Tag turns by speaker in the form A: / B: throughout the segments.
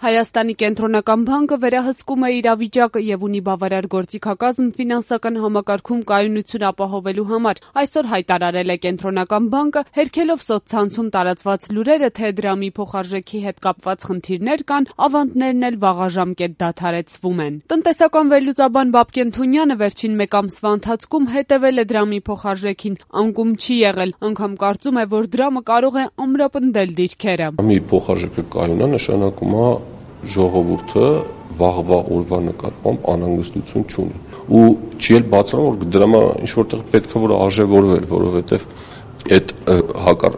A: Հայաստանի կենտրոնական բանկը վերահսկում է իրավիճակը եւ ունի բավարար գործիքակազմ ֆինանսական համակարգում կայունություն ապահովելու համար։ Այսօր հայտարարել է կենտրոնական բանկը, հերքելով սոցցանցում տարածված լուրերը, թե դրամի փոխարժեքի հետ կապված խնդիրներ կան, ավանդներն էլ վաղաժամկետ դադարեցվում են։ Տնտեսական վերլուծաբան Բաբկեն Թունյանը վերջին մեկ ամսվա ընթացքում հետևել է դրամի փոխարժեքին, անկում չի եղել, անգամ կարծում է, որ դրամը կարող է ամրապնդել դիրքերը։
B: Դրամի փոխարժեքը կայուն է, նշանակում է ժողովուրդը վաղվա օրվա նկատմամբ անհանգստություն չունի ու չի էլ բացառում, որ դրամը ինչ որտեղ պետք է որ արժևորվեր, որովհետև այդ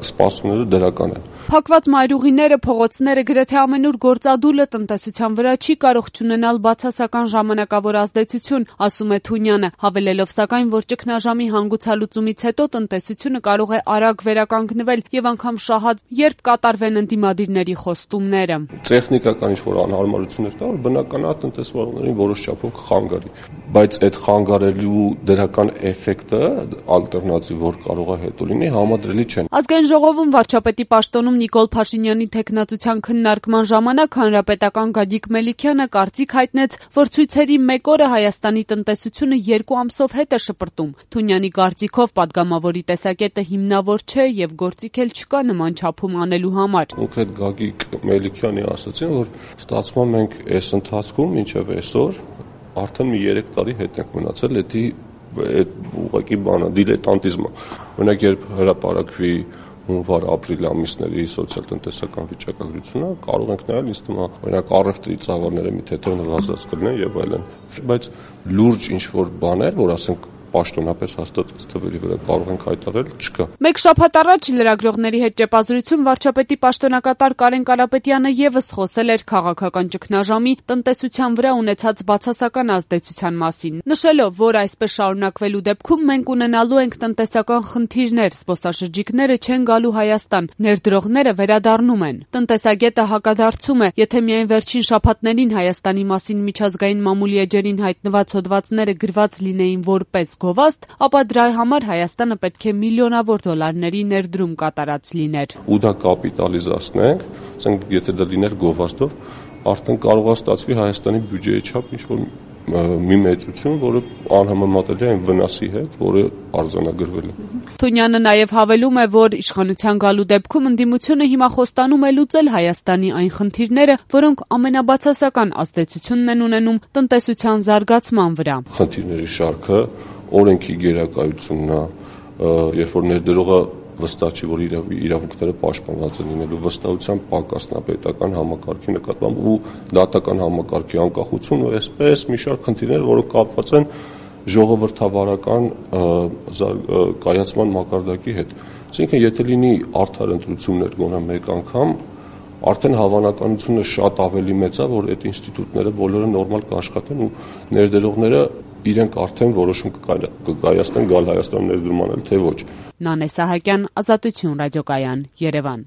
B: սպասումները դրական են։
A: Փակված մայրուղիները, փողոցները, գրեթե ամենուր գործադուլը տնտեսության վրա չի կարող չունենալ բացասական ժամանակավոր ազդեցություն, ասում է Թունյանը, հավելելով սակայն, որ ճգնաժամի հանգուցալուծումից հետո տնտեսությունը կարող է արագ վերականգնվել եւ անգամ շահած, երբ կատարվեն ընդդիմադիրների խոստումները։
B: Տեխնիկական ինչ-որ անհարմարություններ կա, որ բնական է տնտեսվողներին որոշ չափով կխանգարի, բայց այդ խանգարելու դրական էֆեկտը, ալտերնատիվ որ կարող է հետո լինի, համադրելի չեն։
A: Ազգային ժողովում վարչապետի պաշտոնում Նիկոլ Փաշինյանի թեկնածության քննարկման ժամանակ հանրապետական Գագիկ Մելիքյանը կարծիք հայտնեց, որ ցույցերի մեկ օրը Հայաստանի տնտեսությունը 2 ամսով հետ է շպրտում։ Թունյանի կարծիքով падգամավորի տեսակետը հիմնավոր չէ եւ գործիք էլ չկա նման չափում անելու համար։
B: Կոնկրետ Գագիկ Մելիքյանի ասացին, որ ստացվում է մենք այս ընթացքում մինչեւ այսօր արդեն մի 3 տարի հետ ենք մնացել, այդ ուղղակի բանը դիլետանտիզմը։ Օրինակ երբ հրապարակվի հունվար-ապրիլ ամիսների սոցիալ-տնտեսական վիճակագրությունը, կարող ենք նայել, ինձ թվում է, օրինակ առևտրի ծավալները մի թեթև նվազած կլինեն եւ այլն, բայց լուրջ ինչ-որ բաներ, որ ասենք պաշտոնապես հաստատված թվերի վրա կարող ենք հայտարարել, չկա։
A: Մեկ շաբաթ առաջ լրագրողների հետ ճեպազրույցում վարչապետի պաշտոնակատար Կարեն Կարապետյանը եւս խոսել էր քաղաքական ճգնաժամի տնտեսության վրա ունեցած բացասական ազդեցության մասին, նշելով, որ այսպես շարունակվելու դեպքում մենք ունենալու ենք տնտեսական խնդիրներ, զբոսաշրջիկները չեն գալու Հայաստան, ներդրողները վերադառնում են։ Տնտեսագետը հակադարձում է, եթե միայն վերջին շաբաթներին Հայաստանի մասին միջազգային մամուլի էջերին հայտնված հոդվածները գրված լինեին որպես գովաստ, ապա դրա համար Հայաստանը պետք է միլիոնավոր դոլարների ներդրում կատարած լիներ։
B: Ու դա կապիտալիզացնենք, ասենք եթե դա լիներ գովաստով, արդեն կարող է ստացվի Հայաստանի բյուջեի չափ ինչ-որ մի մեծություն, որը անհամեմատելի է այն վնասի հետ, որը արձանագրվել է։
A: Թունյանը նաև հավելում է, որ իշխանության գալու դեպքում ընդդիմությունը հիմա խոստանում է լուծել Հայաստանի այն խնդիրները, որոնք ամենաբացասական ազդեցությունն են ունենում տնտեսության զարգացման վրա։
B: Խնդիրների շարքը օրենքի գերակայությունն է, երբ որ ներդրողը վստահ չի, որ իրավունքները պաշտպանված են լինելու, վստահության պակասն է պետական համակարգի նկատմամբ ու դատական համակարգի անկախություն ու այսպես մի շարք խնդիրներ, որոնք կապված են ժողովրդավարական կայացման մակարդակի հետ։ Այսինքն, եթե լինի արդար ընտրություններ գոնե մեկ անգամ, արդեն հավանականությունը շատ ավելի մեծ է, որ այդ ինստիտուտները բոլորը նորմալ կաշխատեն ու ներդրողները իրենք արդեն որոշում կկայացնեն գալ Հայաստան ներդրում անել, թե ոչ։
A: Նանե Սահակյան, Ազատություն ռադիոկայան, Երևան։